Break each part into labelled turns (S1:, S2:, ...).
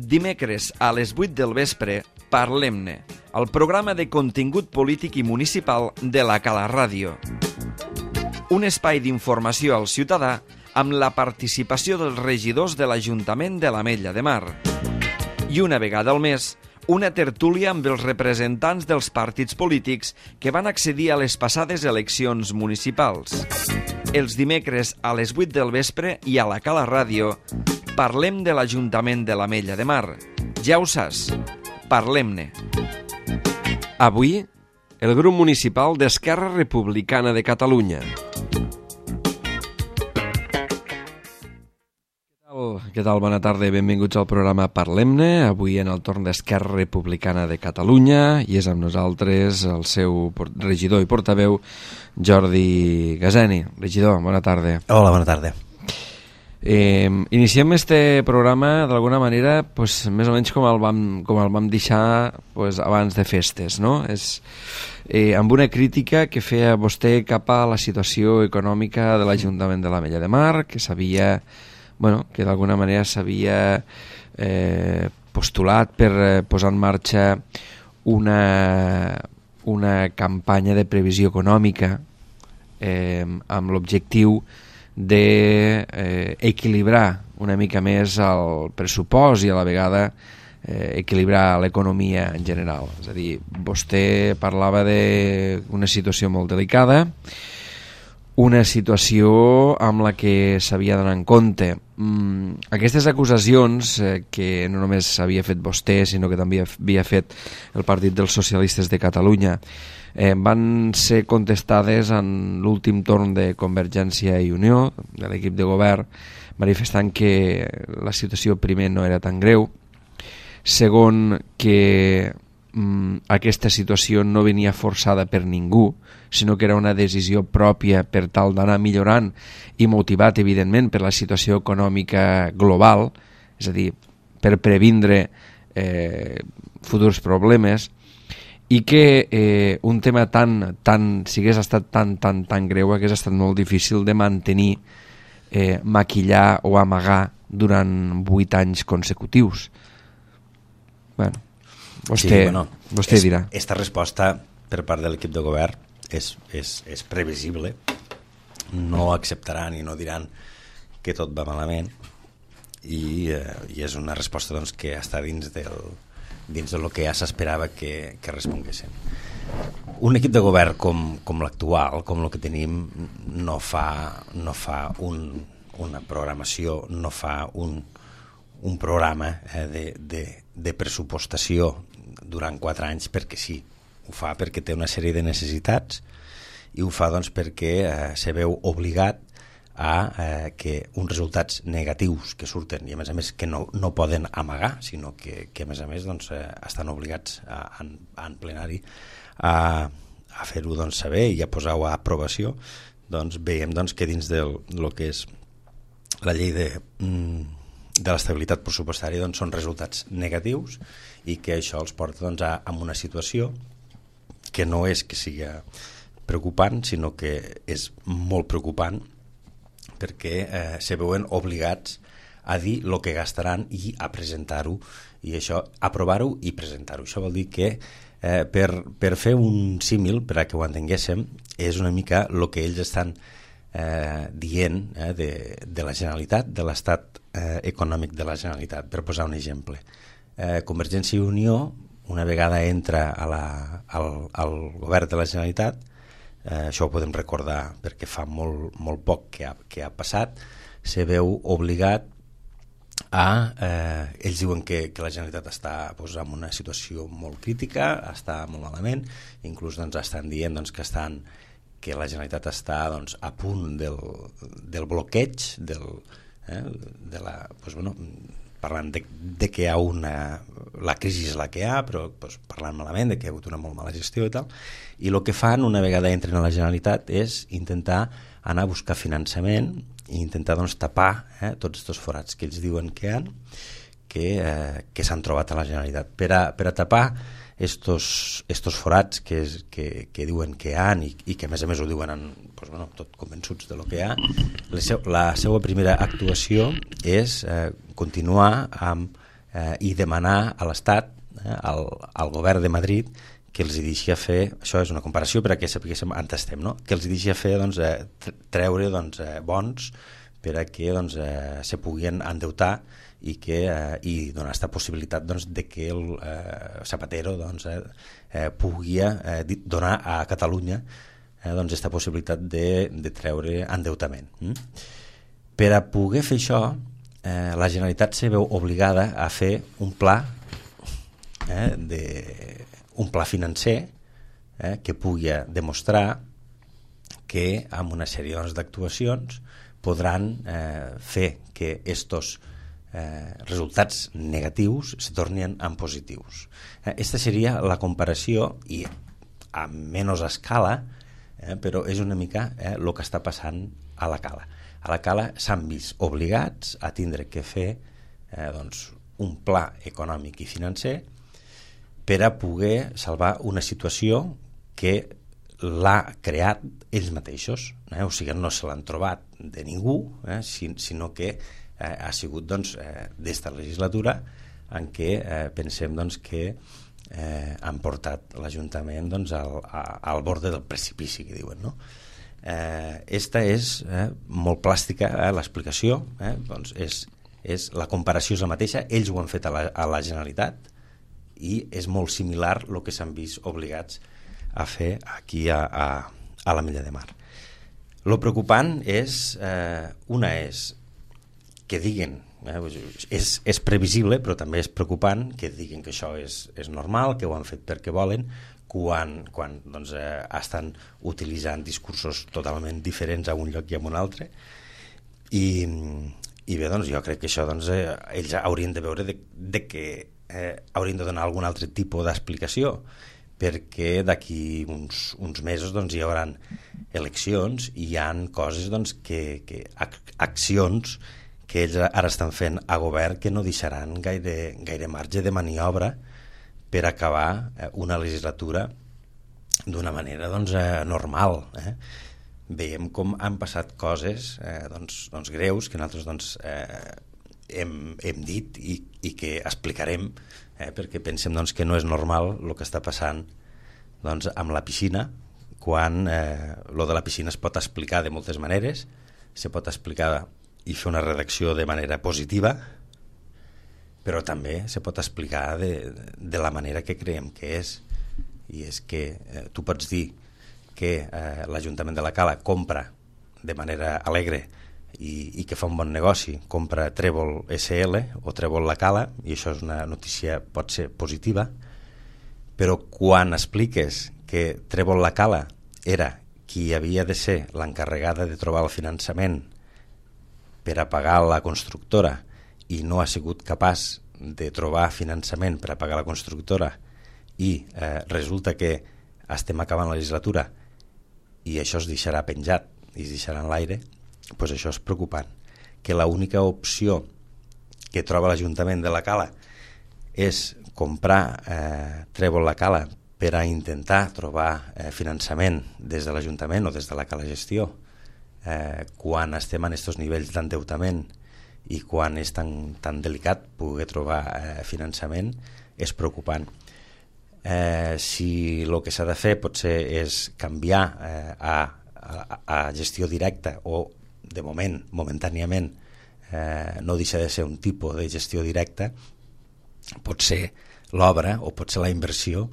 S1: Dimecres a les 8 del vespre, Parlem-ne, el programa de contingut polític i municipal de la Cala Ràdio. Un espai d'informació al ciutadà amb la participació dels regidors de l'Ajuntament de l'Ametlla de Mar. I una vegada al mes, una tertúlia amb els representants dels partits polítics que van accedir a les passades eleccions municipals. Els dimecres a les 8 del vespre i a la Cala Ràdio parlem de l'Ajuntament de l'Ametlla de Mar. Ja ho saps, parlem-ne. Avui, el grup municipal d'Esquerra Republicana de Catalunya. Què tal? Bona tarda i benvinguts al programa Parlem-ne. Avui en el torn d'Esquerra Republicana de Catalunya i és amb nosaltres el seu regidor i portaveu, Jordi Gaseni. Regidor, bona tarda.
S2: Hola, bona tarda.
S1: Iniciem este programa d'alguna manera més o menys com el vam deixar abans de festes, no? És amb una crítica que feia vostè cap a la situació econòmica de l'Ajuntament de l'Ametlla de Mar, que s'havia, que d'alguna manera s'havia postulat per posar en marxa una campanya de previsió econòmica amb l'objectiu d'equilibrar una mica més el pressupost i a la vegada equilibrar l'economia en general. És a dir, vostè parlava d'una situació molt delicada, una situació amb la que s'havia d'anar en compte. Aquestes acusacions que no només havia fet vostè, sinó que també havia fet el Partit dels Socialistes de Catalunya, van ser contestades en l'últim torn de Convergència i Unió, de l'equip de govern, manifestant que la situació primer no era tan greu, segon que aquesta situació no venia forçada per ningú, sinó que era una decisió pròpia per tal d'anar millorant i motivat, evidentment, per la situació econòmica global, és a dir, per previndre futurs problemes, i que un tema si hagués estat tan greu, hagués estat molt difícil de mantenir, maquillar o amagar durant 8 anys consecutius. Vostè dirà.
S2: Esta resposta per part de l'equip de govern és previsible. No acceptaran i no diran que tot va malament i és una resposta que està dins del que ja s'esperava que responguessin. Un equip de govern com l'actual, com el que tenim, no fa una programació, no fa un programa de pressupostació durant 4 anys perquè sí. Ho fa perquè té una sèrie de necessitats i ho fa perquè se veu obligat a que uns resultats negatius que surten i a més que no poden amagar, sinó que a més estan obligats en plenari a fer-ho saber i a posar-ho a aprovació. Veiem que dins del que és la llei de l'estabilitat pressupostària són resultats negatius i que això els porta a una situació que no és que sigui preocupant, sinó que és molt preocupant perquè se veuen obligats a dir el que gastaran i a presentar-ho, i això, aprovar-ho i presentar-ho. Això vol dir que per fer un símil, per a que ho entenguéssim, és una mica el que ells estan dient de la Generalitat, de l'estat econòmic de la Generalitat, per posar un exemple. Convergència i Unió, una vegada entra al govern de la Generalitat, això ho podem recordar perquè fa molt poc que ha passat, se veu obligat ells diuen que la Generalitat està en una situació molt crítica, està molt malament, inclús estan dient que la Generalitat està a punt del bloqueig parlant de que hi ha la crisi és la que hi ha, però parlant malament de que hi ha hagut una molt mala gestió i tal, i el que fan una vegada entren a la Generalitat és intentar anar a buscar finançament i intentar tapar tots aquests forats que ells diuen que hi ha, que s'han trobat a la Generalitat. Per a tapar estos forats que diuen que hi ha i que a més ho diuen tot convençuts de lo que hi ha, la seva primera actuació és continuar amb i demanar a l'Estat, al govern de Madrid, que els deixi fer, això és una comparació per a que sapiguéssim on estem, no? Que els deixi fer treure bons per a que se puguin endeutar i donar aquesta possibilitat de que el Zapatero pugui donar a Catalunya aquesta possibilitat de treure endeutament. Per a poder fer això, la Generalitat se veu obligada a fer un pla financer que pugui demostrar que amb una sèrie d'actuacions podran fer que estos resultats negatius se tornin en positius. Aquesta seria la comparació i a menys escala, però és una mica el que està passant a la Cala. A la Cala s'han vist obligats a tindre que fer un pla econòmic i financer per a poder salvar una situació que l'ha creat ells mateixos, o sigui, no se l'han trobat de ningú, sinó que ha sigut d'esta legislatura en què pensem que han portat l'Ajuntament al borde del precipici, que diuen, no? Esta és molt plàstica, l'explicació, és la comparació és la mateixa, ells ho han fet a la Generalitat i és molt similar el que s'han vist obligats a fer aquí a l'Ametlla de Mar. Lo preocupant és, una és que diguin, és previsible, però també és preocupant que diguin que això és normal, que ho han fet perquè volen, quan estan utilitzant discursos totalment diferents a un lloc i a un altre. I bé, jo crec que això ells haurien de veure que haurien de donar algun altre tipus d'explicació, perquè d'aquí uns mesos hi haurà eleccions i hi ha coses accions que ells ara estan fent a govern que no deixaran gaire marge de maniobra per acabar una legislatura d'una manera normal. Veiem com han passat coses greus que nosaltres hem dit i que explicarem, perquè pensem que no és normal el que està passant amb la piscina, quan lo de la piscina es pot explicar de moltes maneres, se pot explicar i fer una redacció de manera positiva, però també se pot explicar de la manera que creiem que és, i és que tu pots dir que l'Ajuntament de la Cala compra de manera alegre i que fa un bon negoci, compra Trèvol SL o Trèvol la Cala, i això és una notícia pot ser positiva, però quan expliques que Trèvol la Cala era qui havia de ser l'encarregada de trobar el finançament per a pagar la constructora i no ha sigut capaç de trobar finançament per a pagar la constructora i resulta que estem acabant la legislatura i això es deixarà penjat i es deixarà en l'aire, doncs això és preocupant. Que l'única opció que troba l'Ajuntament de la Cala és comprar Trèvol la Cala per a intentar trobar finançament des de l'Ajuntament o des de la Cala Gestió, quan estem en aquests nivells d'endeutament i quan és tan delicat poder trobar finançament, és preocupant. Si el que s'ha de fer potser és canviar a gestió directa o de moment, momentàniament, no deixa de ser un tipus de gestió directa, pot ser l'obra o pot ser la inversió,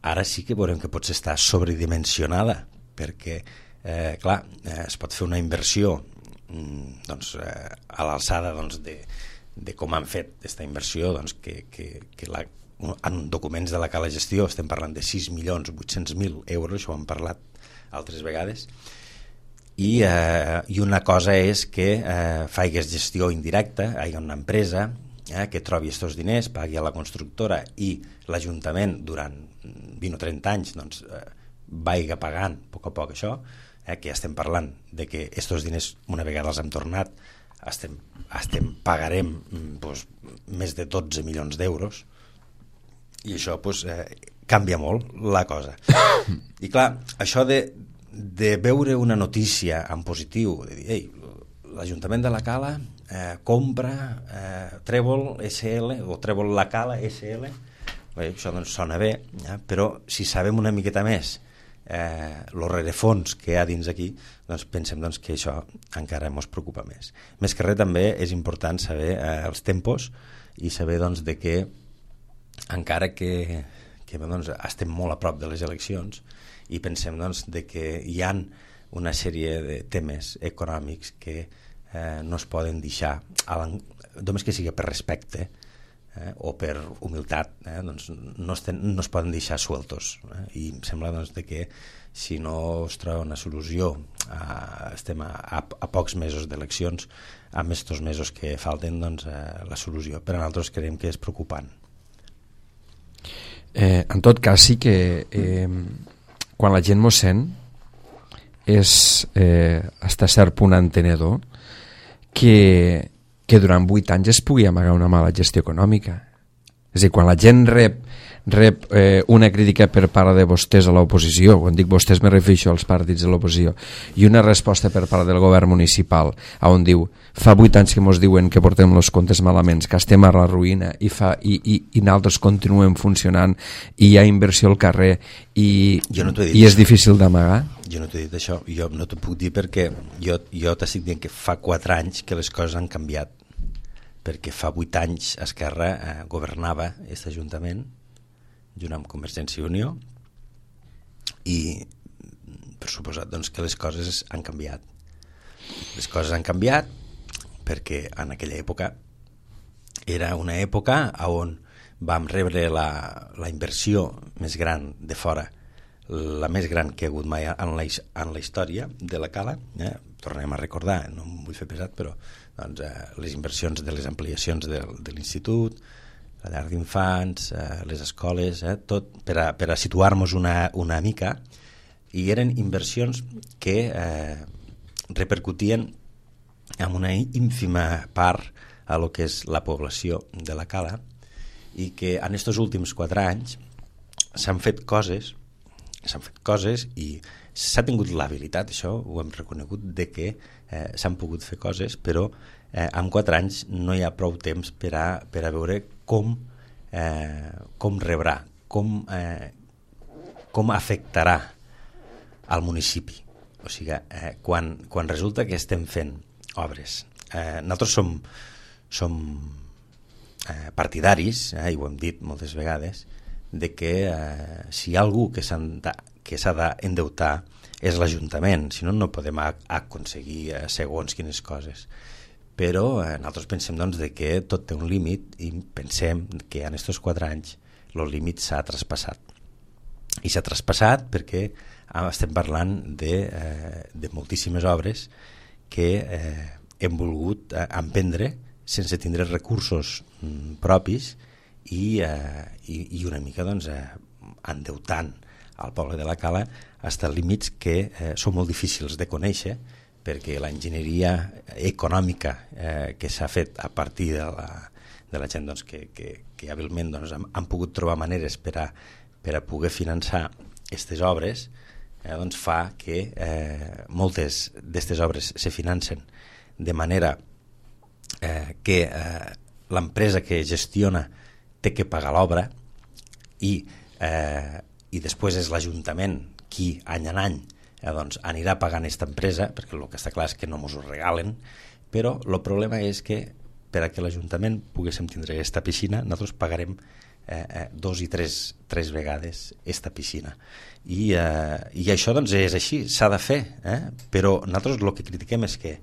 S2: ara sí que veurem que potser està sobredimensionada, perquè clar, es pot fer una inversió a l'alçada de com han fet aquesta inversió, que en documents de la Cala Gestió estem parlant de 6.800.000 euros, això ho hem parlat altres vegades, i una cosa és que faigues gestió indirecta, hi ha una empresa que trobi aquests diners, pagui a la constructora i l'Ajuntament durant 20 o 30 anys vaiga pagant a poc això, que estem parlant de que aquests diners una vegada els hem tornat pagarem més de 12 milions d'euros i això canvia molt la cosa. I clar, això de veure una notícia en positiu, de dir, l'Ajuntament de la Cala compra Trèvol SL o Trèvol la Cala SL. Bé, això doncs sona bé, però si sabem una miqueta més el rerefons que hi ha dins aquí, doncs pensem doncs, que això encara ens preocupa més. Més que res també és important saber els tempos i saber doncs, de que encara que doncs, estem molt a prop de les eleccions i pensem doncs, de que hi ha una sèrie de temes econòmics que no es poden deixar, només que sigui per respecte o per humilitat, doncs no es poden deixar sueltos. I em sembla doncs, de que si no es troba una solució, estem a pocs mesos d'eleccions, amb estos mesos que falten, doncs, la solució per a nosaltres creiem que és preocupant.
S1: En tot cas sí que quan la gent mos sent és fins a cert punt entenedor que durant 8 anys es pugui amagar una mala gestió econòmica. És a dir, quan la gent rep una crítica per part de vostès a l'oposició, quan dic vostès me refereixo als partits de l'oposició, i una resposta per part del govern municipal on diu, fa 8 anys que mos diuen que portem els comptes malament, que estem a la ruïna i nosaltres continuem funcionant i hi ha inversió al carrer i és difícil d'amagar.
S2: Jo no t'he dit això, jo no t'ho puc dir perquè jo t'estic dient que fa 4 anys que les coses han canviat, perquè fa 8 anys Esquerra governava aquest Ajuntament junt amb Convergència i Unió i per suposat doncs, que les coses han canviat. Les coses han canviat perquè en aquella època era una època on vam rebre la inversió més gran de fora, la més gran que ha hagut mai en la història de la Cala. Tornem a recordar, no em vull fer pesat, però doncs, les inversions de les ampliacions de l'institut, la llar d'infants, les escoles, tot per a situar-nos una mica, i eren inversions que repercutien en una ínfima part a lo que és la població de la Cala, i que en aquests últims 4 anys s'han fet coses i s'ha tingut l'habilitat, això ho hem reconegut, de que s'han pogut fer coses, però en 4 anys no hi ha prou temps per a veure com rebrà, com afectarà al municipi. O sigui, quan resulta que estem fent obres, nosaltres som partidaris, i ho hem dit moltes vegades, de que si hi ha algú que s'ha d'endeutar és l'Ajuntament, si no, no podem aconseguir segons quines coses. Però nosaltres pensem doncs, de que tot té un límit i pensem que en aquests 4 anys el límit s'ha traspassat. I s'ha traspassat perquè estem parlant de moltíssimes obres que hem volgut emprendre sense tindre recursos propis i una mica doncs, endeutant al poble de la Cala fins a límits que són molt difícils de conèixer, perquè l'enginyeria econòmica que s'ha fet a partir de la gent doncs, que hàbilment doncs, han pogut trobar maneres per a poder finançar aquestes obres, doncs fa que moltes d'aquestes obres se financen de manera que l'empresa que gestiona té que pagar l'obra i després és l'Ajuntament qui any en any doncs, anirà pagant aquesta empresa, perquè el que està clar és que no ens ho regalen, però el problema és que per a que l'Ajuntament poguéssim tindre aquesta piscina nosaltres pagarem 2 i 3 vegades aquesta piscina i això doncs és així, s'ha de fer, però nosaltres el que critiquem és que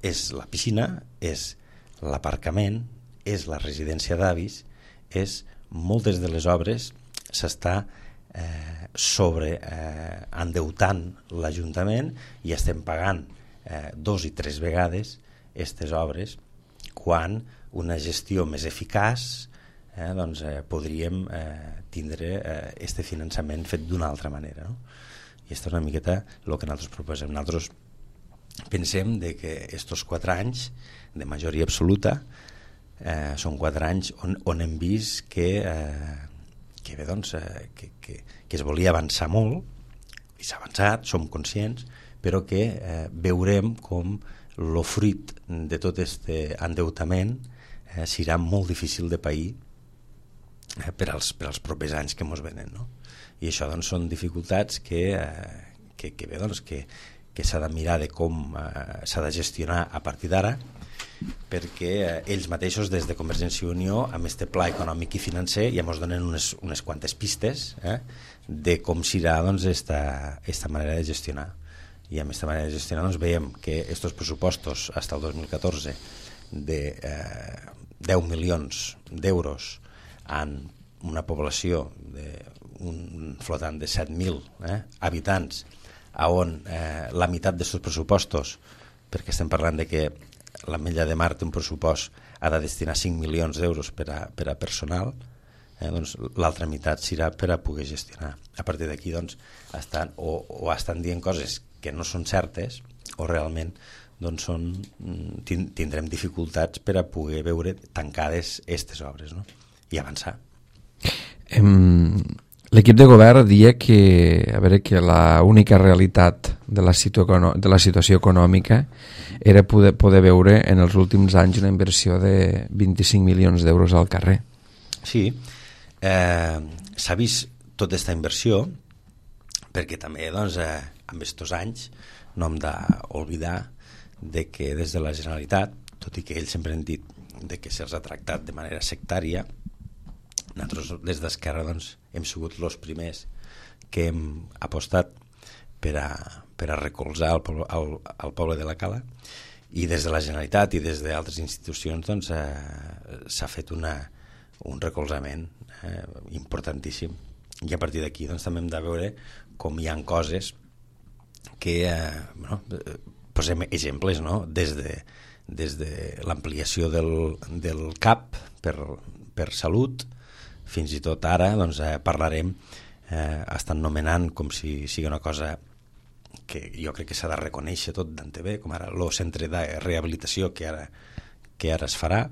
S2: és la piscina, és l'aparcament, és la residència d'avis, és moltes de les obres s'està endeutant l'Ajuntament i estem pagant 2 i 3 vegades aquestes obres quan una gestió més eficaç doncs, podríem tindre este finançament fet d'una altra manera, no? I aquesta és una miqueta el que nosaltres proposem. Nosaltres pensem de que aquests 4 anys de majoria absoluta són 4 anys on hem vist que es volia avançar molt i s'ha avançat, som conscients, però que veurem com el fruit de tot aquest endeutament serà molt difícil de pair per als propers anys que ens venen, no? I això doncs, són dificultats que s'ha de mirar de com s'ha de gestionar a partir d'ara, perquè ells mateixos des de Convergència i Unió amb este pla econòmic i financer ja ens donen unes quantes pistes de com serà doncs, esta manera de gestionar. I amb aquesta manera de gestionar doncs, veiem que aquests pressupostos fins al 2014 de 10 milions d'euros en una població d'un flotant de 7.000 habitants, on la meitat d'aquests pressupostos, perquè estem parlant de que l'Ametlla de Mar té un pressupost, ha de destinar 5 milions d'euros per a personal, doncs l'altra meitat serà per a poder gestionar. A partir d'aquí doncs, estan dient coses que no són certes o realment doncs, tindrem dificultats per a poder veure tancades aquestes obres, no? I avançar.
S1: L'equip de govern dia que l'única realitat de la situació econòmica era poder veure en els últims anys una inversió de 25 milions d'euros al carrer.
S2: Sí, s'ha vist tota aquesta inversió perquè també doncs, en aquests anys no hem d'oblidar de que des de la Generalitat, tot i que ells sempre han dit de que se'ls ha tractat de manera sectària, nosaltres des d'Esquerra doncs, hem sigut els primers que hem apostat per a recolzar el poble de la Cala, i des de la Generalitat i des d'altres institucions doncs, s'ha fet un recolzament importantíssim, i a partir d'aquí doncs, també hem de veure com hi ha coses que posem exemples, no? Des de l'ampliació del CAP per salut fins i tot ara doncs, parlarem, estan nomenant com si sigui una cosa que jo crec que s'ha de reconèixer tot d'antevé, com ara el centre de rehabilitació que ara es farà,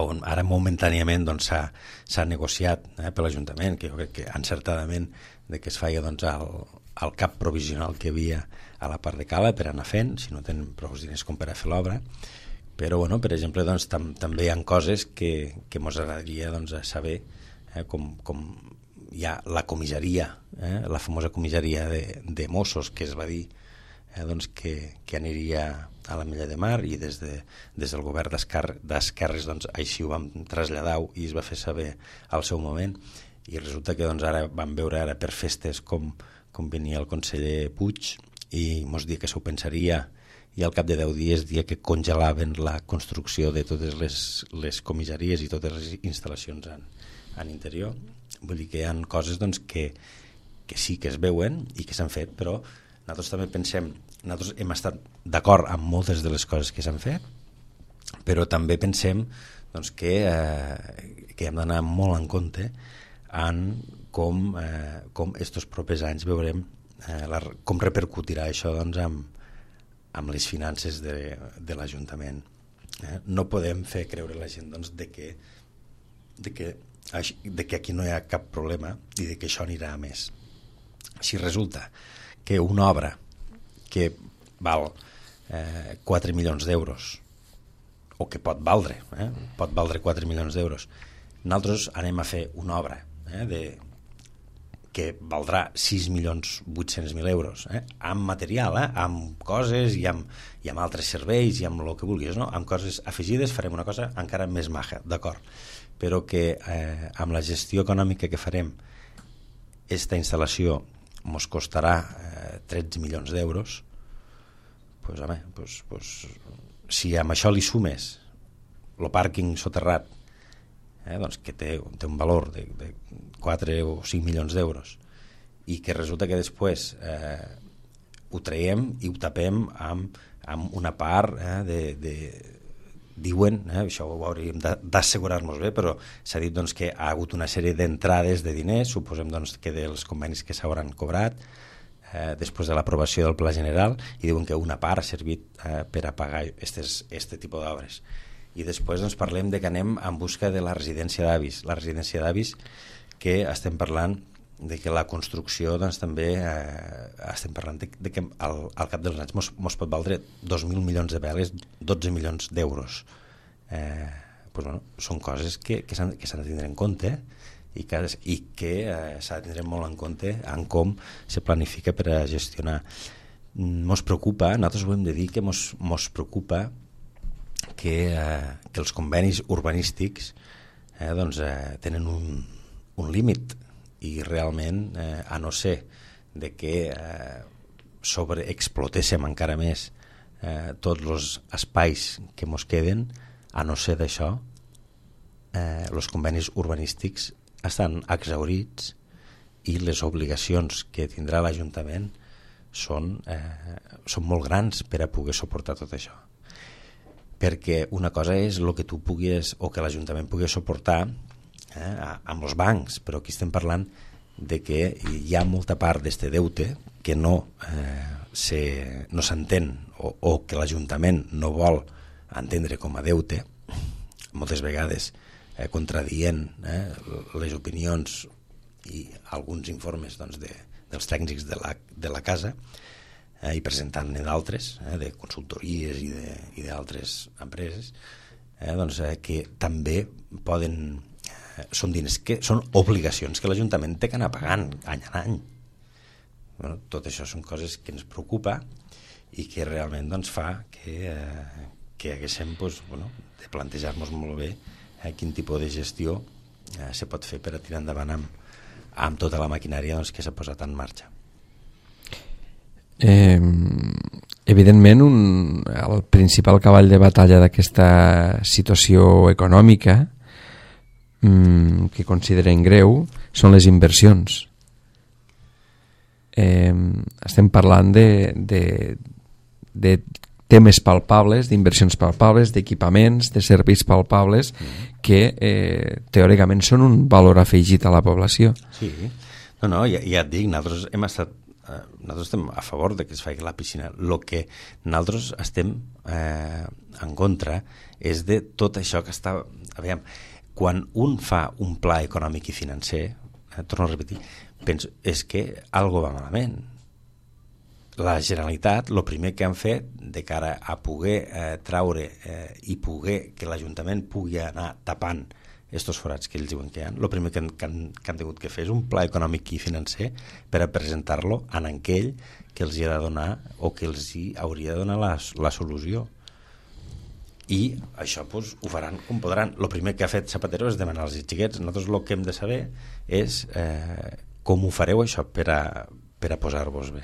S2: on ara momentàniament doncs, s'ha negociat per l'Ajuntament, que jo crec que encertadament de que es feia doncs, el cap provisional que hi havia a la part de Cala per anar fent, si no tenen prou diners com per a fer l'obra. Però, bueno, per exemple, doncs, també hi ha coses que ens agradaria doncs, saber, com hi ha la comissaria, la famosa comissaria de Mossos, que es va dir doncs, que aniria a l'Ametlla de Mar, i des del govern d'Esquerres doncs, així ho vam traslladar i es va fer saber al seu moment, i resulta que doncs, ara vam veure ara per festes com venia el conseller Puig i ens dia que s'ho pensaria, i al cap de 10 dies dia que congelaven la construcció de totes les comissaries i totes les instal·lacions en interior. Vull dir que hi ha coses doncs, que sí que es veuen i que s'han fet, però nosaltres també pensem, nosaltres hem estat d'acord amb moltes de les coses que s'han fet, però també pensem doncs, que hem d'anar molt en compte en com estos propers anys veurem com repercutirà això doncs, amb les finances de l'Ajuntament. No podem fer creure a la gent doncs, de que aquí no hi ha cap problema i de que això anirà a més. Si resulta que una obra que val 4 milions d'euros, o que pot valdre 4 milions d'euros, nosaltres anem a fer una obra que valdrà 6.800.000 euros, amb material, amb coses i amb altres serveis i amb el que vulguis, no? Amb coses afegides farem una cosa encara més maja, d'acord, però que amb la gestió econòmica que farem aquesta instal·lació ens costarà 13 milions d'euros, doncs, home, si amb això li sumes el pàrquing soterrat, doncs que té un valor de 4 o 5 milions d'euros, i que resulta que després ho traiem i ho tapem amb una part diuen, això ho hauríem d'assegurar-nos bé, però s'ha dit doncs, que ha hagut una sèrie d'entrades de diners, suposem doncs, que dels convenis que s'hauran cobrat després de l'aprovació del Pla General, i diuen que una part ha servit per a pagar aquest tipus d'obres. I després doncs, parlem de que anem en busca de la residència d'avis. La residència d'avis que estem parlant la construcció doncs, també estem parlant de que al cap dels anys mos pot valdre 2.000 milions de veles, 12 milions d'euros. Pues, bueno, són coses que s'han de tindre en compte i que s'ha de tindre molt en compte en com se planifica per a gestionar. Mos preocupa, nosaltres ho hem de dir, que mos preocupa que els convenis urbanístics doncs, tenen un límit i realment, a no ser de que sobreexplotéssim encara més tots els espais que mos queden, a no ser d'això, els convenis urbanístics estan exhaurits i les obligacions que tindrà l'Ajuntament són molt grans per a poder suportar tot això. Perquè una cosa és el que tu puguis o que l'Ajuntament pugui suportar amb els bancs, però aquí estem parlant de que hi ha molta part d'este deute que no s'entén o que l'Ajuntament no vol entendre com a deute, moltes vegades contradient les opinions i alguns informes doncs, dels tècnics de la casa i presentant-ne d'altres, de consultories i d'altres empreses, doncs, que també poden... Són diners que són obligacions que l'Ajuntament té que anar pagant any a any. Bueno, tot això són coses que ens preocupa i que realment doncs, fa que haguéssim de plantejar-nos molt bé quin tipus de gestió se pot fer per a tirar endavant amb tota la maquinària doncs, que s'ha posat en marxa.
S1: Evidentment el principal cavall de batalla d'aquesta situació econòmica que considerem greu són les inversions. Estem parlant de temes palpables, d'inversions palpables, d'equipaments, de serveis palpables que teòricament són un valor afegit a la població.
S2: Sí, ja et dic, nosaltres estem a favor de que es faci la piscina. El que nosaltres estem en contra és de tot això que està... Aviam, quan un fa un pla econòmic i financer, torno a repetir, penso, és que algo va malament. La Generalitat, el primer que han fet de cara a poder traure i poder que l'Ajuntament pugui anar tapant estos forats que ells diuen que hi ha, el primer que han tingut que fer és un pla econòmic i financer per a presentar-lo en aquell que els hi ha de donar o que els hi hauria de donar la solució. I això doncs, ho faran com podran. El primer que ha fet Zapatero és demanar als xiquets. Nosaltres el que hem de saber és com ho fareu això per a posar-vos bé.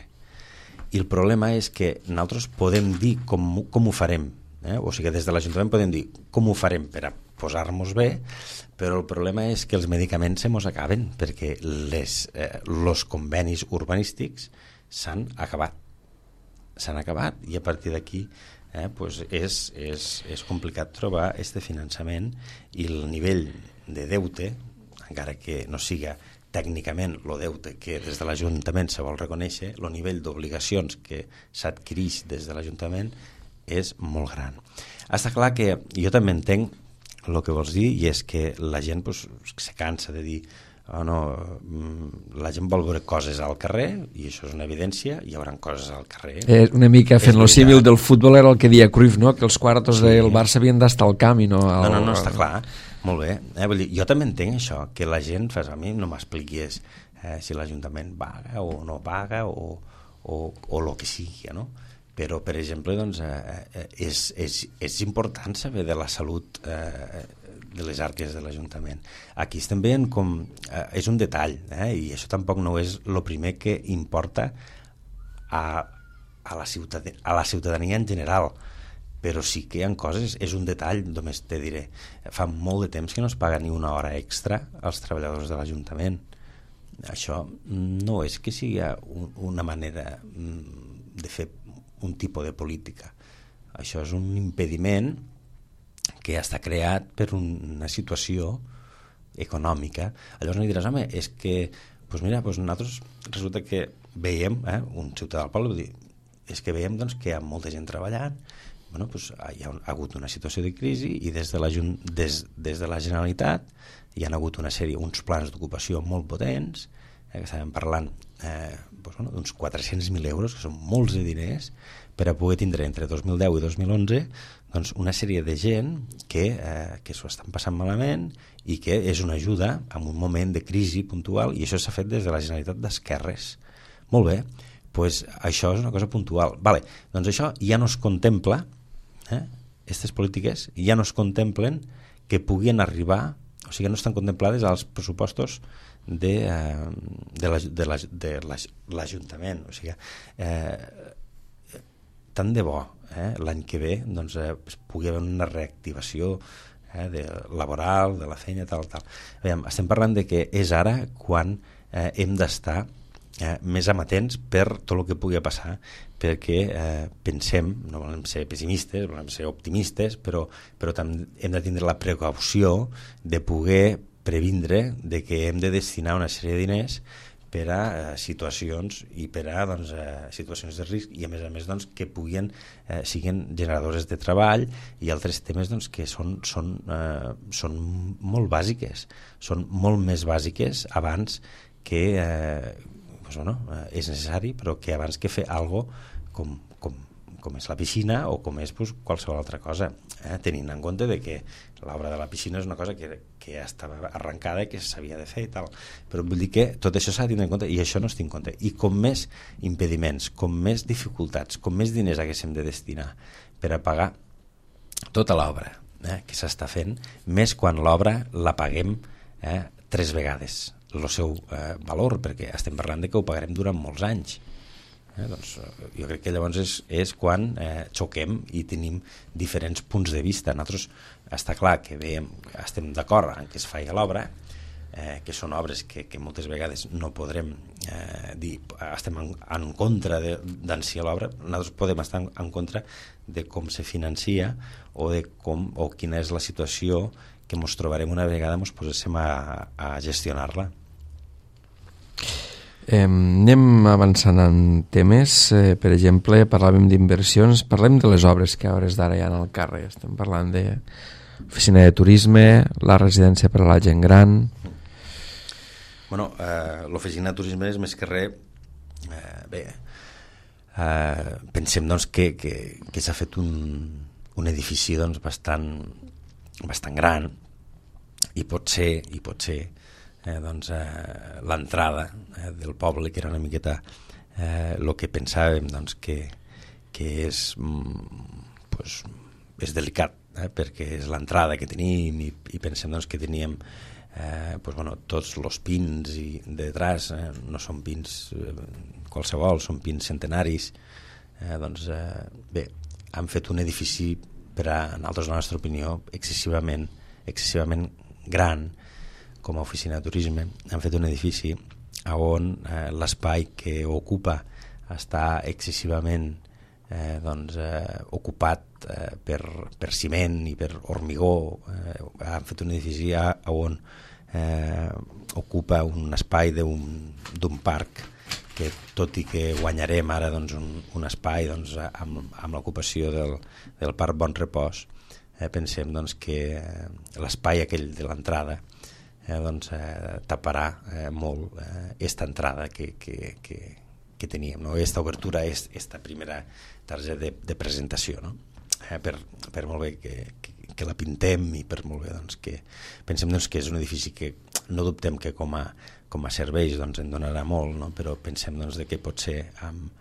S2: I el problema és que nosaltres podem dir com ho farem, o sigui, des de l'Ajuntament podem dir com ho farem per a posar-nos bé, però el problema és que els medicaments se mos acaben perquè els convenis urbanístics s'han acabat i a partir d'aquí pues és complicat trobar este finançament i el nivell de deute, encara que no siga tècnicament el deute que des de l'Ajuntament se vol reconèixer, el nivell d'obligacions que s'adquireix des de l'Ajuntament és molt gran. Està clar que jo també entenc el que vols dir i és que la gent pues, se cansa de dir la gent vol veure coses al carrer i això és una evidència, hi haurà coses al carrer.
S1: Una mica fent lo símil del futbol era el que deia Cruyff, no? Que els quartos del Barça havien d'estar al camp i no...
S2: No, està clar, molt bé. Vull dir, jo també entenc això, que la gent a mi no m'expliqués si l'Ajuntament paga o no paga o el que sigui, no? Però, per exemple, doncs, és important saber de la salut de les arques de l'Ajuntament. Aquí estem veient com... és un detall, i això tampoc no és el primer que importa a la ciutadania en general, però sí que hi ha coses, és un detall, només te diré. Fa molt de temps que no es paga ni una hora extra als treballadors de l'Ajuntament. Això no és que sigui una manera de fer un tipus de política. Això és un impediment que ja està creat per una situació econòmica. Llavors no diràs, home, és que doncs mira, doncs nosaltres resulta que veiem, un ciutadà del poble, és que veiem doncs, que hi ha molta gent treballant, bueno, doncs, hi ha hagut una situació de crisi i des de la Generalitat hi ha hagut una sèrie, uns plans d'ocupació molt potents que estàvem parlant d'uns 400.000 euros, que són molts de diners, per a poder tindre entre 2010 i 2011 doncs una sèrie de gent que s'ho estan passant malament i que és una ajuda en un moment de crisi puntual, i això s'ha fet des de la Generalitat d'Esquerres. Molt bé, doncs això és una cosa puntual. Vale, doncs això ja no es contempla, aquestes polítiques ja no es contemplen que puguin arribar, o sigui, no estan contemplades als pressupostos de l'Ajuntament. O sigui, tant de bo l'any que ve doncs, pugui haver una reactivació laboral, de la feina, tal. Veiem, estem parlant de que és ara quan hem d'estar més amatents per tot el que pugui passar, perquè pensem, no volem ser pessimistes, volem ser optimistes, però també hem de tindre la precaució de poder previndre de que hem de destinar una sèrie de diners per a situacions i per a situacions de risc, i a més doncs, que siguin generadores de treball i altres temes doncs, que són molt bàsiques, són molt més bàsiques abans que és necessari, però que abans que fer alguna cosa com és la piscina o com és qualsevol altra cosa, tenint en compte de que l'obra de la piscina és una cosa que ja estava arrencada i que s'havia de fer i tal, però vull dir que tot això s'ha de tenir en compte, i això no es té en compte, i com més impediments, com més dificultats, com més diners haguéssim de destinar per a pagar tota l'obra que s'està fent, més quan l'obra la paguem 3 vegades el seu valor, perquè estem parlant de que ho pagarem durant molts anys. Doncs jo crec que llavors és quan xoquem i tenim diferents punts de vista. Nosaltres està clar que estem d'acord en que es faci l'obra, que són obres que moltes vegades no podrem dir estem en contra d'enci l'obra. Nosaltres podem estar en contra de com se financia o quina és la situació que ens trobarem una vegada ens poséssim a gestionar-la.
S1: Anem avançant en temes, per exemple, parlàvem d'inversions, parlem de les obres que a hores d'ara hi ha al carrer. Estem parlant d'oficina de turisme, la residència per a la gent gran.
S2: Bueno, l'oficina de turisme és més que res, pensem doncs, que s'ha fet un edifici doncs, bastant gran, i pot ser l'entrada del poble, que era una miqueta el que pensàvem doncs, que és delicat, perquè és l'entrada que tenim, i pensem doncs, que teníem tots els pins i detrás no són pins qualsevol, són pins centenaris. Han fet un edifici per a nosaltres, la nostra opinió, excessivament gran com a oficina de turisme. Han fet un edifici on l'espai que ocupa està excessivament ocupat per ciment i per hormigó. Han fet un edifici on ocupa un espai d'un parc que, tot i que guanyarem ara un espai amb l'ocupació del Parc Bon Repòs, pensem que l'espai aquell de l'entrada taparà molt aquesta entrada que teníem, aquesta obertura, aquesta primera targeta de presentació, no? Per molt bé que la pintem, i per molt bé que pensem que és un edifici que no dubtem que com a serveis en donarà molt, no? Però pensem que pot ser amb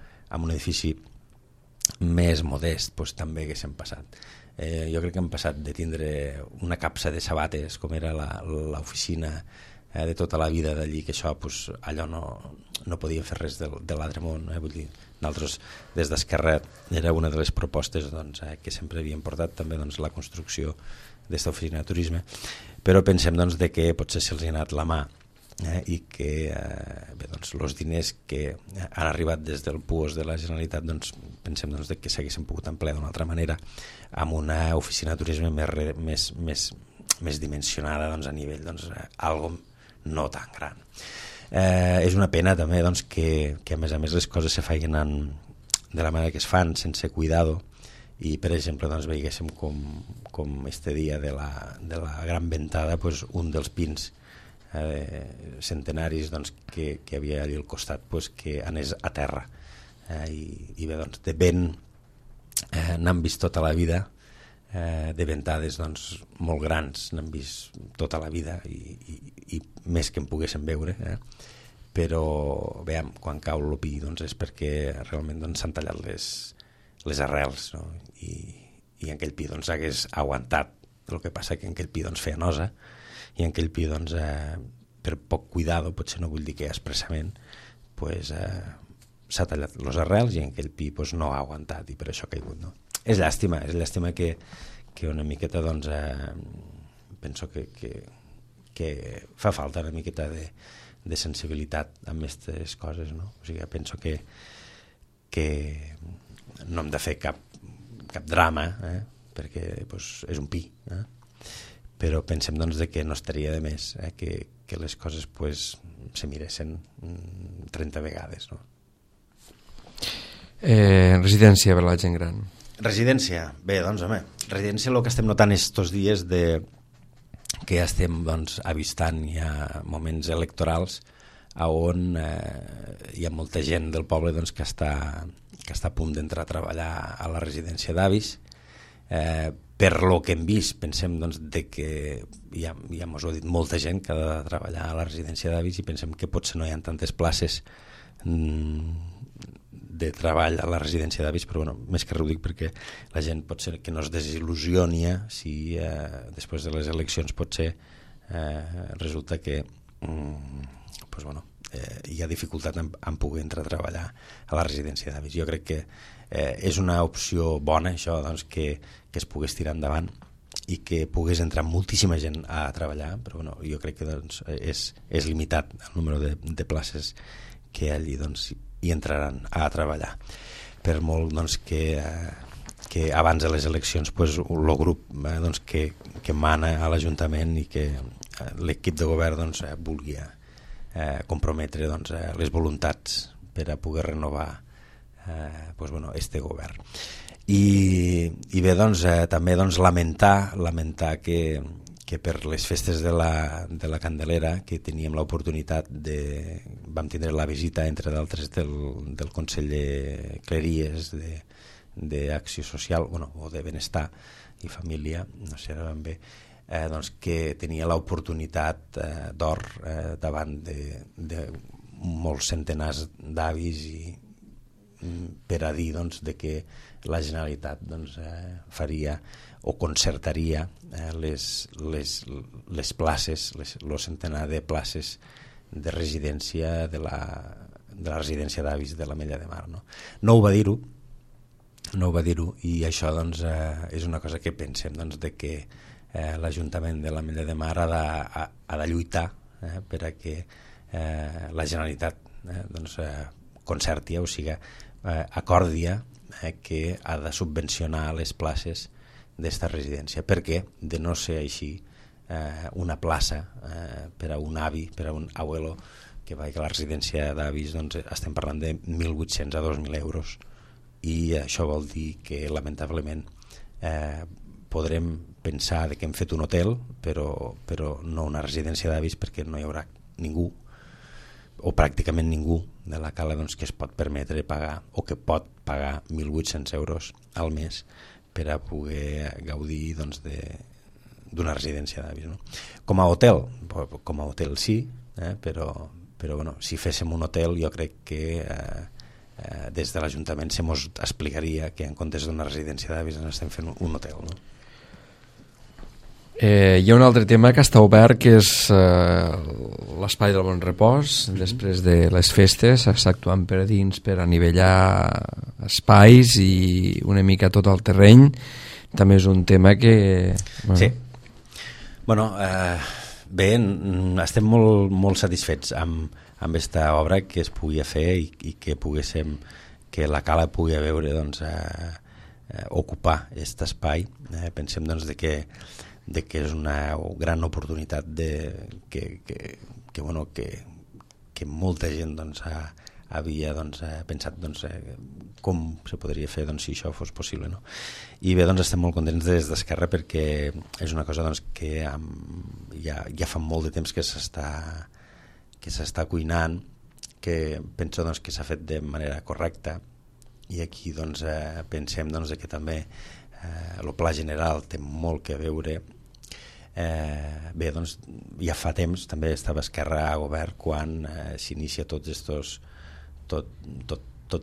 S2: un edifici més modest també haguéssim passat. Jo crec que hem passat de tindre una capsa de sabates com era l'oficina de tota la vida d'allí, que això allò no podíem fer res de l'altre món. Vull dir, nosaltres des d'Esquerra era una de les propostes que sempre havíem portat també la construcció d'esta oficina de turisme, però pensem que potser se'ls ha anat la mà i que els diners que han arribat des del PUOS de la Generalitat pensem que s'haguessin pogut emplear d'una altra manera amb una oficina de turisme més dimensionada a nivell algo no tan gran. És una pena també que a més les coses se facin de la manera que es fan, sense cuidado, i per exemple veiéssim com este dia de la gran ventada un dels pins centenaris doncs, que havia allà al costat, pues, que anés a terra. I bé, doncs, de vent n'han vist tota la vida, de ventades doncs, molt grans n'han vist tota la vida i més que en poguéssim veure, però veiem, quan cau el pi doncs, és perquè realment doncs, s'han tallat les arrels, no? I aquell pi doncs, hagués aguantat. El que passa que aquell pi doncs, feia nosa i aquell pi doncs, per poc cuidado, potser no vull dir que expressament, pues, s'ha tallat les arrels i aquell pi pues, no ha aguantat i per això ha caigut, no? És llàstima que una miqueta doncs, penso que fa falta una miqueta de sensibilitat amb aquestes coses, no? O sigui, penso que no hem de fer cap drama, perquè pues, és un pi, però pensem doncs, que no estaria de més que les coses pues, se miressin 30 vegades, no?
S1: Residència per la gent gran.
S2: Residència, bé, doncs, home, residència el que estem notant estos dies que estem doncs, avistant ja moments electorals on hi ha molta gent del poble doncs, que està a punt d'entrar a treballar a la residència d'avis. Per lo que hem vist, pensem doncs, que ja mos ho ha dit molta gent que ha de treballar a la residència d'avis i pensem que potser no hi ha tantes places de treball a la residència d'avis, però bueno, més que res ho dic perquè la gent pot ser que no es desil·lusioni si després de les eleccions potser resulta que pues, bueno, hi ha dificultat en poder entrar a treballar a la residència d'avis. Jo crec que és una opció bona això, doncs, que es pogués tirar endavant i que pogués entrar moltíssima gent a treballar, però bueno, jo crec que doncs, és limitat el número de places que allí doncs, hi entraran a treballar. Per molt doncs, que abans de les eleccions pues, el grup doncs, que mana a l'Ajuntament i que l'equip de govern doncs, vulgui comprometre doncs, les voluntats per a poder renovar pues, bueno, este govern. I bé, doncs, també doncs, lamentar que per les festes de la Candelera, que teníem l'oportunitat vam tindre la visita, entre d'altres, del conseller Cleries d'Acció Social, bueno, o de Benestar i Família, no sé ara ben bé, doncs, que tenia l'oportunitat d'or davant de molts centenars d'avis per a dir doncs, de que la Generalitat doncs, faria o concertaria les places, el centenar de places de residència de la residència d'avis de l'Ametlla de Mar. No ho va dir-ho i això doncs, és una cosa que pensem doncs, de que l'Ajuntament de l'Ametlla de Mar ha de lluitar per a que la Generalitat doncs, concerti, o sigui, acordia que ha de subvencionar les places d'esta residència, perquè de no ser així una plaça per a un avi, per a un abuelo que vagi a la residència d'avis, doncs estem parlant de 1.800 a 2.000 euros i això vol dir que lamentablement podrem pensar que hem fet un hotel però no una residència d'avis, perquè no hi haurà ningú o pràcticament ningú de la cala doncs, que es pot permetre pagar o que pot pagar 1.800 euros al mes per a poder gaudir doncs, d'una residència d'avis. No? Com a hotel sí, però bueno, si féssim un hotel jo crec que des de l'Ajuntament se mos explicaria que en comptes d'una residència d'avis estem fent un hotel. No?
S1: Hi ha un altre tema que està obert, que és l'espai del bon repòs. Després de les festes s'està actuant per dins per anivellar espais i una mica tot el terreny. També és un tema que...
S2: Bueno. Sí. Bueno, bé, estem molt satisfets amb aquesta obra que es pugui fer i que poguéssim, que la cala pugui veure doncs, ocupar aquest espai. Pensem doncs, de que és una gran oportunitat que molta gent doncs, havia pensat com se podria fer si això fos possible, no? I bé, estem molt contents des d'Esquerra perquè és una cosa que ja fa molt de temps que s'està cuinant, que penso que s'ha fet de manera correcta, i aquí pensem que també el pla general té molt que veure. Bé, ja fa temps també estava Esquerra a govern quan s'inicia tot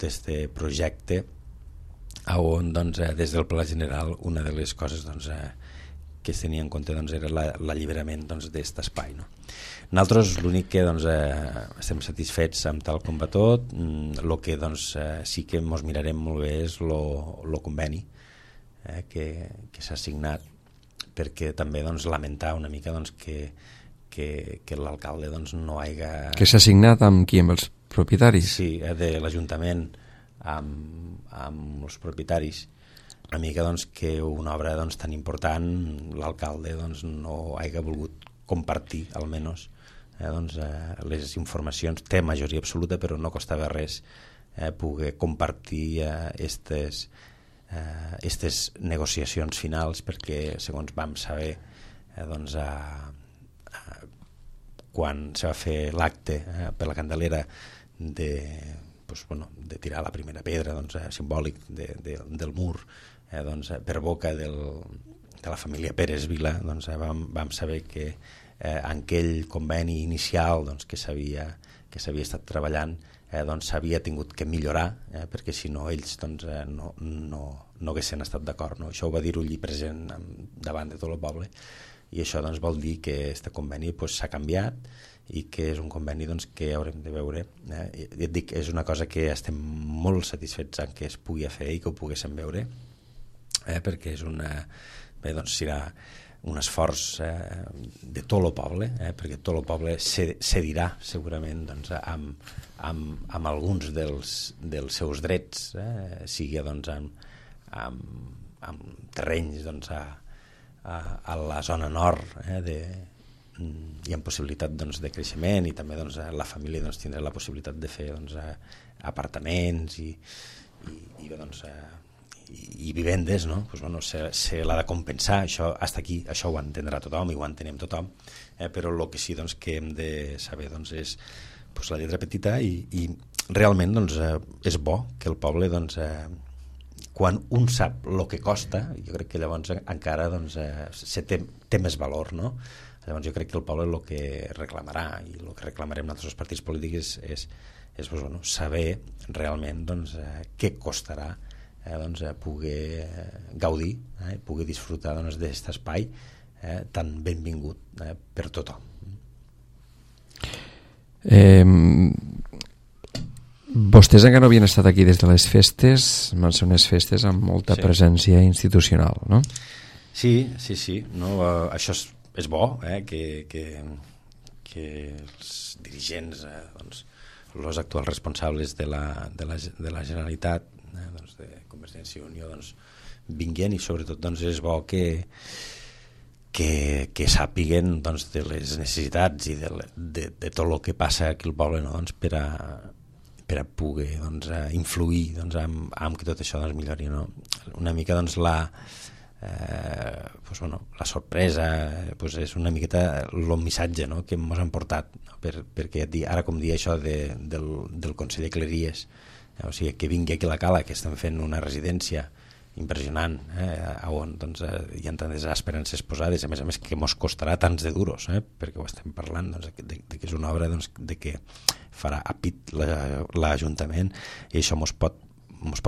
S2: este projecte, on des del pla general una de les coses que es tenia en compte era l'alliberament d'aquest espai, no? Nosaltres l'únic que estem satisfets amb tal com va tot. El que sí que ens mirarem molt bé és el conveni que s'ha signat, perquè també lamentar una mica que l'alcalde no hagi...
S1: Que s'ha signat amb qui? Amb els propietaris?
S2: Sí, de l'Ajuntament amb els propietaris. Una mica que una obra tan important l'alcalde no hagi volgut compartir, almenys, les informacions. Té majoria absoluta, però no costava res poder compartir aquestes negociacions finals, perquè segons vam saber quan se va fer l'acte per la Candelera de tirar la primera pedra simbòlic del mur per boca de la família Pérez Vila, vam saber que en aquell conveni inicial que s'havia estat treballant s'havia tingut que millorar, perquè si no ells no haguessin estat d'acord, no? Això ho va dir Ullí present davant de tot el poble, i això vol dir que aquest conveni s'ha canviat i que és un conveni que haurem de veure. Et dic, és una cosa que estem molt satisfets en que es pugui fer i que ho poguéssim veure, perquè és serà un esforç de tot el poble, perquè tot el poble cedirà segurament amb alguns dels seus drets, sigui amb terrenys a la zona nord, hi ha possibilitat de creixement, i també la família tindrà la possibilitat de fer apartaments i vivendes, no? Se l'ha de compensar, això hasta aquí, això ho entendrà tothom i ho entenem tothom, però el que sí que hem de saber és la lletra petita, i realment és bo que el poble quan un sap el que costa, jo crec que llavors encara té més valor, no? Llavors jo crec que el poble el que reclamarà, i el que reclamarem nosaltres els partits polítics és saber realment què costarà poder gaudir, poder disfrutar d'aquest espai tan benvingut per tothom.
S1: Vostès encara no havien estat aquí des de les festes, van ser unes festes amb molta presència institucional, no?
S2: Sí, no? Això és bo, que els dirigents, els actuals responsables de la Generalitat, de Convergència i Unió, vinguin, i sobretot és bo que sàpiguen de les necessitats i de tot el que passa aquí al poble, no? Per a poder influir en que tot això millori, no? Una mica la sorpresa és una miqueta el missatge, no? Que ens han portat, no? Perquè ara, com dir això del Consell de Cleries, o sigui, que vingui aquí a la Cala, que estem fent una residència impressionant, on hi ha tantes esperances posades, a més que ens costarà tants de duros, perquè ho estem parlant de que és una obra de que farà a pit l'Ajuntament, i això ens pot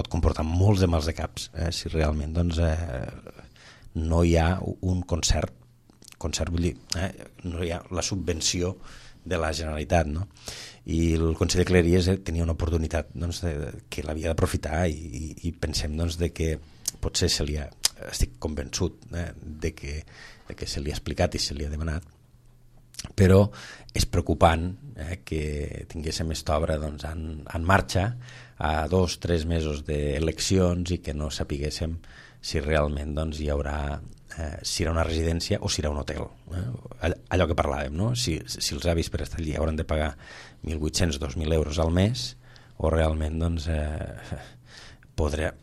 S2: comportar molts de mals de caps si realment no hi ha un concert vull dir, no hi ha la subvenció de la Generalitat, no? I el Consell de Cleries tenia una oportunitat que l'havia d'aprofitar, i pensem de que potser estic convençut de que se li ha explicat i se li ha demanat, però és preocupant que tinguéssim aquesta obra en marxa a 2-3 mesos d'eleccions i que no sapiguéssim si realment hi haurà, si serà una residència o si serà un hotel, allò que parlàvem, no? Si els avis per estar allí hauran de pagar 1.800-2.000 euros al mes, o realment doncs, podrà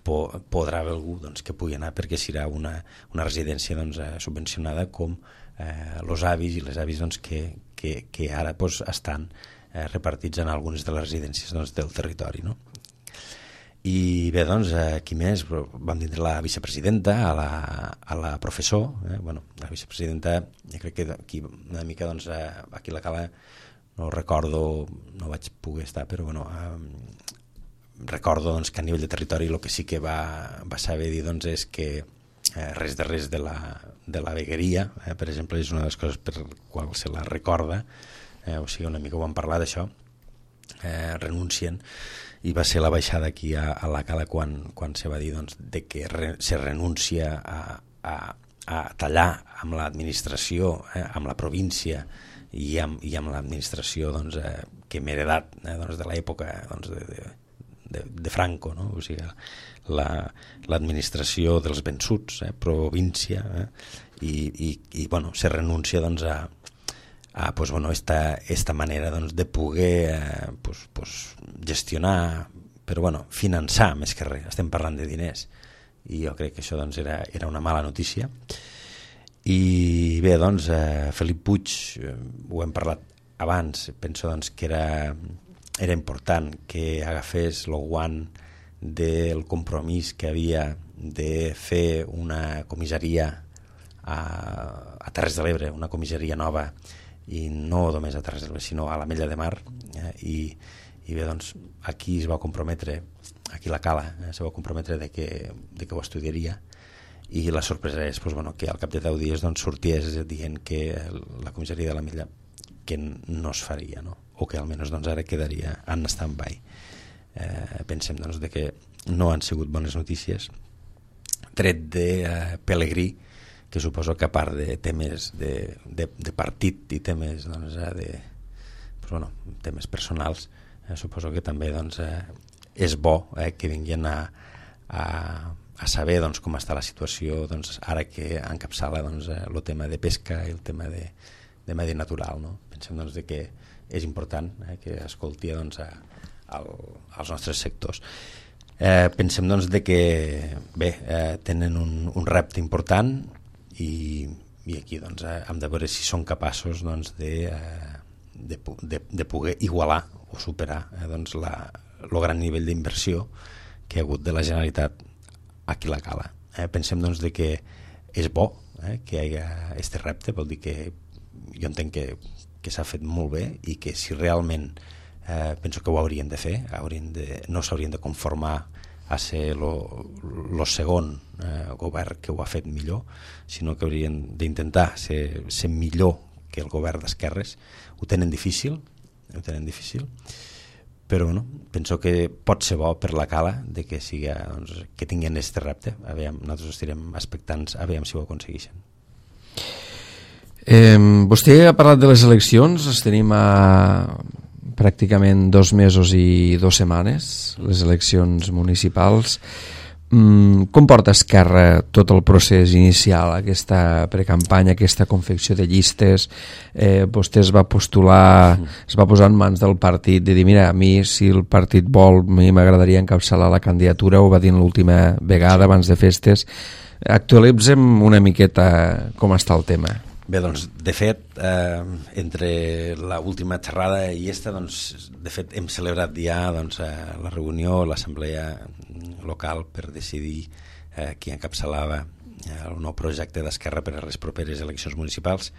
S2: haver algú doncs, que pugui anar perquè serà una residència doncs, subvencionada com els avis i les avis doncs, que ara doncs, estan repartits en algunes de les residències doncs, del territori, no? I bé, doncs, aquí més vam tindre la vicepresidenta, a la professor, bueno, la vicepresidenta, jo crec que aquí una mica, doncs, aquí a la Cala no recordo, no vaig poder estar, però bueno, recordo doncs, que a nivell de territori el que sí que va saber dir doncs, és que res de la vegueria, per exemple, és una de les coses per qual se la recorda, o sigui, una mica ho vam parlar d'això, renuncien, i va ser la baixada aquí a la Cala quan se va dir doncs, de que se renuncia a tallar amb l'administració, amb la província i amb l'administració doncs, que hem heredat doncs, de l'època doncs, de Franco, no? O sigui, l'administració dels vençuts, província, i bueno, se renuncia doncs, pues, bueno, esta manera doncs, de poder pues, gestionar, però bueno, finançar més que res, estem parlant de diners, i jo crec que això doncs, era una mala notícia. I bé, doncs, Felip Puig, ho hem parlat abans, penso doncs, que era important que agafés el guant del compromís que havia de fer una comissaria a Terres de l'Ebre, una comissaria nova, i no només a Terres de l'Ebre, sinó a l'Ametlla de Mar, i bé, doncs, aquí es va comprometre, aquí la Cala, se va comprometre de que ho estudiaria, i la sorpresa és pues, bueno, que al cap de 10 dies doncs, sorties dient que la comissaria de l'Ametlla que no es faria, no? O que almenys doncs, ara quedaria en stand-by. Pensem doncs, de que no han sigut bones notícies, tret de Pelegrí, que suposo que a part de temes de partit i temes doncs, pues, bueno, temes personals, suposo que també doncs, és bo que vinguin a saber doncs, com està la situació doncs, ara que encapçala doncs, el tema de pesca i el tema de medi natural, no? Pensem doncs, de que és important que escolti doncs, als nostres sectors. Pensem doncs, de que bé, tenen un repte important i aquí doncs, hem de veure si són capaços doncs, de poder igualar o superar doncs, el gran nivell d'inversió que ha hagut de la Generalitat aquí a la Cala. Pensem doncs, de que és bo que hi hagi aquest repte, vol dir que jo entenc que s'ha fet molt bé i que si realment penso que ho haurien de fer, no s'haurien de conformar a ser el segon govern que ho ha fet millor, sinó que haurien d'intentar ser millor que el govern d'esquerres. Ho tenen difícil, però bueno, penso que pot ser bo per la Cala de que doncs, que tinguin aquest repte. Nosaltres estarem expectants a veure si ho aconsegueixen.
S1: Vostè ha parlat de les eleccions, les tenim a pràcticament 2 mesos i 2 setmanes, les eleccions municipals. Com porta Esquerra tot el procés inicial, aquesta precampanya, aquesta confecció de llistes? Vostè es va postular, es va posar en mans del partit de dir, mira, a mi si el partit vol, a mi m'agradaria encapçalar la candidatura, ho va dir l'última vegada abans de festes. Actualitzem una miqueta com està el tema.
S2: Bé, doncs, de fet, entre l'última xerrada i doncs, de fet, hem celebrat ja doncs, la reunió, l'assemblea local per decidir qui encapçalava el nou projecte d'Esquerra per a les properes eleccions municipals,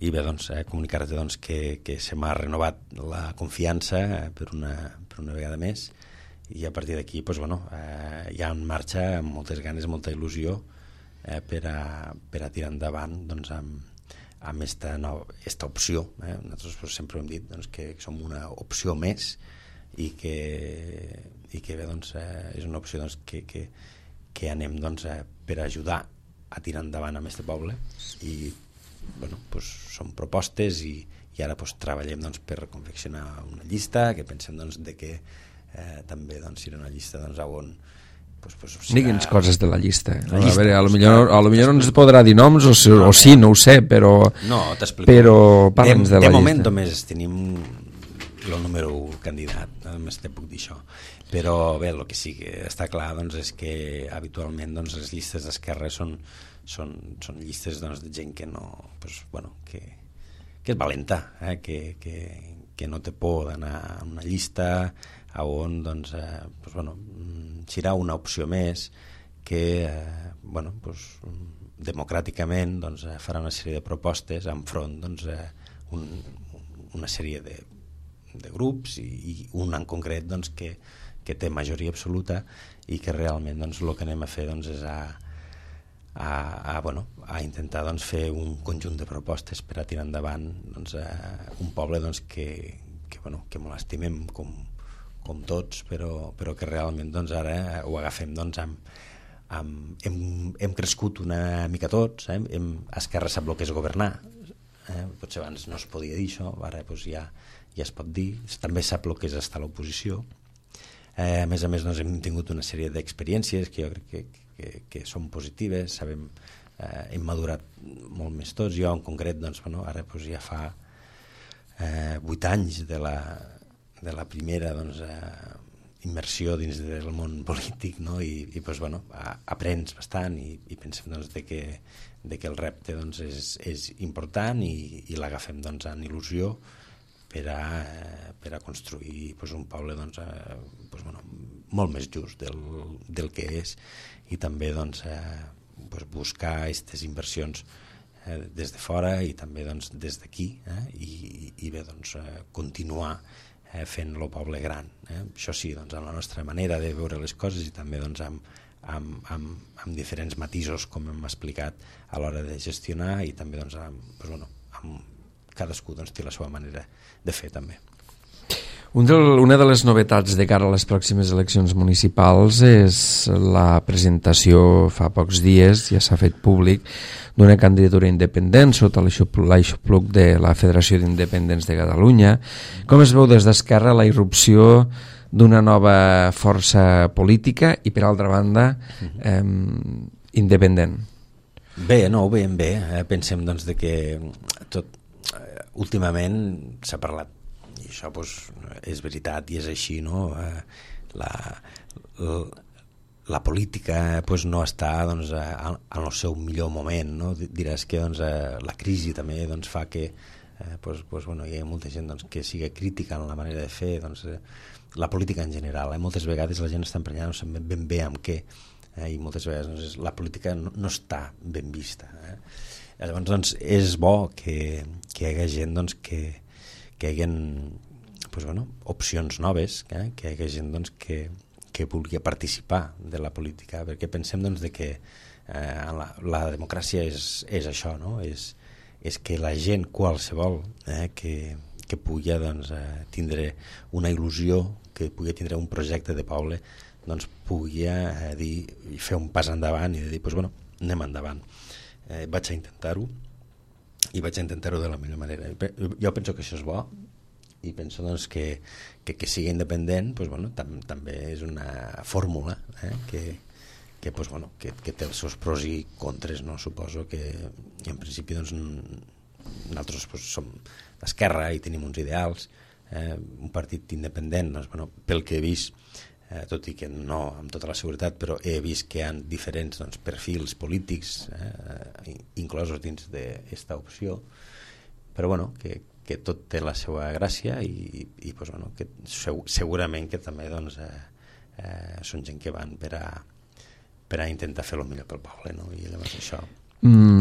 S2: i bé, doncs, comunicar-te doncs, que se m'ha renovat la confiança per una vegada més, i a partir d'aquí doncs, bueno, ja en marxa amb moltes ganes, molta il·lusió per a tirar endavant doncs, amb esta opció. Nosaltres sempre hem dit doncs, que som una opció més i que bé, doncs, és una opció doncs, que anem doncs, per ajudar a tirar endavant amb aquest poble, i bueno, doncs, són propostes i ara doncs, treballem doncs, per confeccionar una llista que pensem doncs, de que també doncs, serà una llista doncs, on
S1: digui'ns coses de la llista. A veure, a lo millor no ens podrà dir noms o sí, no ho sé, però
S2: no, t'explico.
S1: Però parla'ns de la llista.
S2: De moment només tenim el número 1 candidat, només te puc dir això. Però bé, el que sí que està clar doncs, és que habitualment doncs, les llistes d'esquerra són llistes doncs, de gent que no, pues, bueno, que és valenta, que no té por d'anar a una llista on doncs, pues, bueno, serà una opció més que bueno, pues, democràticament doncs, farà una sèrie de propostes enfront doncs, una sèrie de grups i un en concret doncs, que té majoria absoluta i que realment doncs, el que anem a fer doncs, és a intentar doncs, fer un conjunt de propostes per a tirar endavant doncs, un poble doncs, que molt estimem com tots, però que realment doncs, ara ho agafem doncs, hem crescut una mica tots, Esquerra sap el que és governar, potser abans no es podia dir això, ara doncs, ja es pot dir, també sap el que és estar a l'oposició. A més doncs, hem tingut una sèrie d'experiències que jo crec que són positives, hem madurat molt més tots. Jo en concret doncs, ara doncs, ja fa 8 anys de la primera doncs, immersió dins del món polític, no? I doncs, aprens bastant i pensem doncs, de que el repte doncs, és important i l'agafem doncs, en il·lusió per a construir doncs, un poble doncs, molt més just del que és i també doncs, buscar aquestes inversions des de fora i també doncs, des d'aquí i bé, doncs, continuar fent el poble gran. Això sí, doncs, amb la nostra manera de veure les coses i també doncs, amb diferents matisos, com hem explicat, a l'hora de gestionar i també doncs, amb cadascú doncs, té la seva manera de fer també.
S1: Una de les novetats de cara a les pròximes eleccions municipals és la presentació fa pocs dies, ja s'ha fet públic, d'una candidatura independent sota l'aixopluc de la Federació d'Independents de Catalunya. Com es veu des d'Esquerra la irrupció d'una nova força política i, per altra banda, independent?
S2: Bé, no, ho veiem bé. Pensem doncs, de que últimament s'ha parlat i això doncs, és veritat i és així, no? La política doncs, no està doncs, en el seu millor moment, no? Diràs que doncs, la crisi també doncs, fa que hi ha molta gent doncs, que sigui crítica en la manera de fer doncs, la política en general. Moltes vegades la gent està emprenyada, no sap ben bé amb què, i moltes vegades doncs, la política no està ben vista. Llavors doncs, és bo que hi hagi gent doncs, que hi hagi opcions noves, que hi hagi gent doncs, que vulgui participar de la política, perquè pensem doncs, de que la democràcia és això, no? És que la gent qualsevol que pugui doncs, tindre una il·lusió, que pugui tindre un projecte de poble, doncs pugui fer un pas endavant i dir, anem endavant. Vaig a intentar-ho i vaig a intentar-ho de la millor manera. Jo penso que això és bo i penso doncs, que sigui independent també és una fórmula que té els seus pros i contres, no? Suposo que en principi doncs, nosaltres som d'esquerra i tenim uns ideals, un partit independent doncs, pel que he vist, tot i que no amb tota la seguretat, però he vist que hi ha diferents doncs, perfils polítics inclosos dins d'aquesta opció, però que tot té la seva gràcia i que segurament que també doncs, són gent que van per a intentar fer el millor pel poble, no? I llavors això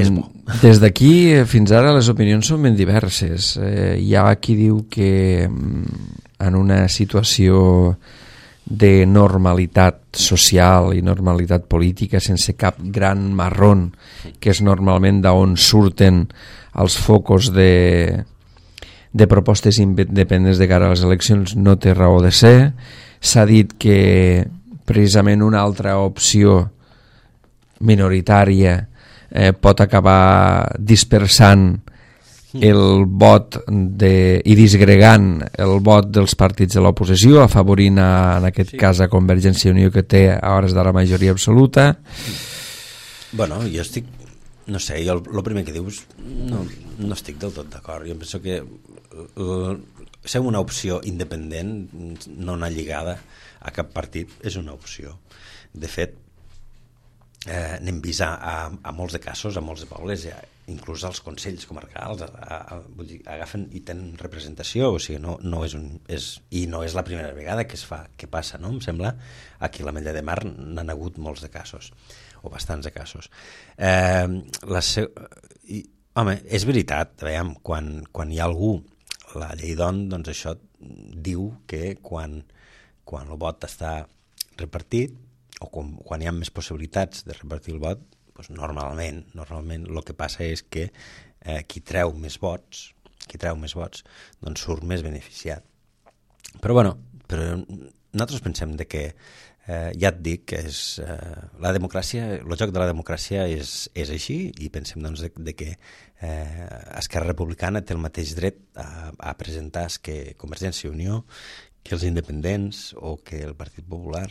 S2: és bo.
S1: Des d'aquí fins ara les opinions són ben diverses. Hi ha qui diu que en una situació de normalitat social i normalitat política sense cap gran marrón, que és normalment d'on surten els focus de propostes independents de cara a les eleccions, no té raó de ser. S'ha dit que precisament una altra opció minoritària pot acabar dispersant el vot i disgregant el vot dels partits de l'oposició, afavorint en aquest cas a Convergència i Unió, que té a hores d'ara majoria absoluta.
S2: Jo estic, no sé, jo el primer que dius no estic del tot d'acord. Jo penso que ser una opció independent, no una lligada a cap partit, és una opció. De fet, n'hem vist a molts de casos, a molts de pobles, inclús els consells comarcals vull dir, agafen i tenen representació, o sigui, no és la primera vegada que passa, no? Em sembla, aquí a l'Ametlla de Mar n'han hagut molts de casos, o bastants de casos. Home, és veritat, veiem, quan hi ha algú, la llei d'ON, doncs això diu que quan el vot està repartit, o quan hi ha més possibilitats de repartir el vot, doncs normalment el que passa és que qui treu més vots, doncs surt més beneficiat. Però nosaltres pensem que ja et dic que la democràcia, el joc de la democràcia és així, i pensem doncs que Esquerra Republicana té el mateix dret a presentar que Convergència i Unió, que els independents o que el Partit Popular,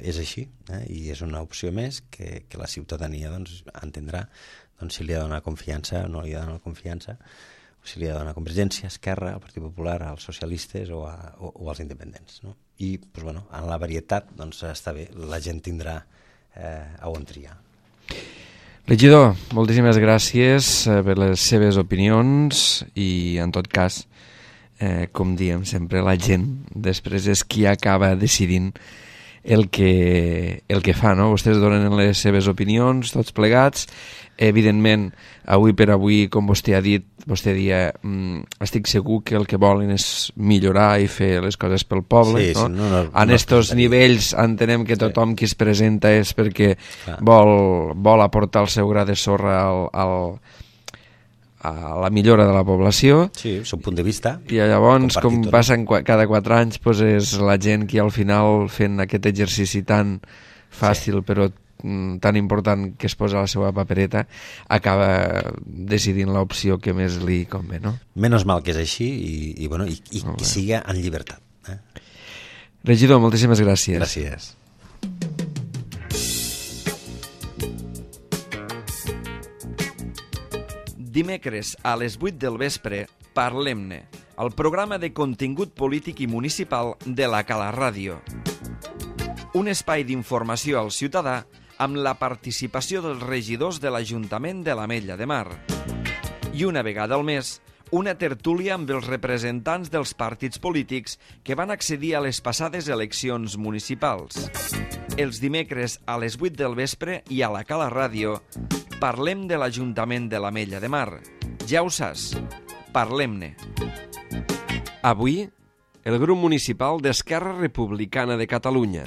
S2: és així, i és una opció més que la ciutadania doncs entendrà si li ha de donar confiança o no li ha de donar confiança, o si li ha de donar Convergència, Esquerra, al Partit Popular, als socialistes o als independents, no? I en la varietat està bé, la gent tindrà on triar.
S1: Regidor, moltíssimes gràcies per les seves opinions i, en tot cas, com diem sempre, la gent després és qui acaba decidint el que fa, no? Vostès donen les seves opinions, tots plegats. Evidentment, avui per avui, com vostè ha dit, vostè dia, estic segur que el que volen és millorar i fer les coses pel poble,
S2: sí,
S1: no?
S2: Sí,
S1: en estos nivells entenem que tothom qui es presenta és perquè vol aportar el seu gra de sorra a la millora de la població.
S2: Sí, és un punt de vista.
S1: I llavors, com passen cada 4 anys, doncs és la gent qui al final, fent aquest exercici tan fàcil però tan important que es posa a la seva papereta, acaba decidint l'opció que més li convé, no?
S2: Menys mal que és així i que siga en llibertat.
S1: Regidor, moltíssimes gràcies.
S2: Gràcies.
S1: Dimecres a les 8 del vespre, Parlem-ne, el programa de contingut polític i municipal de la Cala Ràdio. Un espai d'informació al ciutadà amb la participació dels regidors de l'Ajuntament de l'Ametlla de Mar. I una vegada al mes, una tertúlia amb els representants dels partits polítics que van accedir a les passades eleccions municipals. Els dimecres a les 8 del vespre i a la Cala Ràdio parlem de l'Ajuntament de l'Ametlla de Mar. Ja ho saps, parlem-ne. Avui, el grup municipal d'Esquerra Republicana de Catalunya.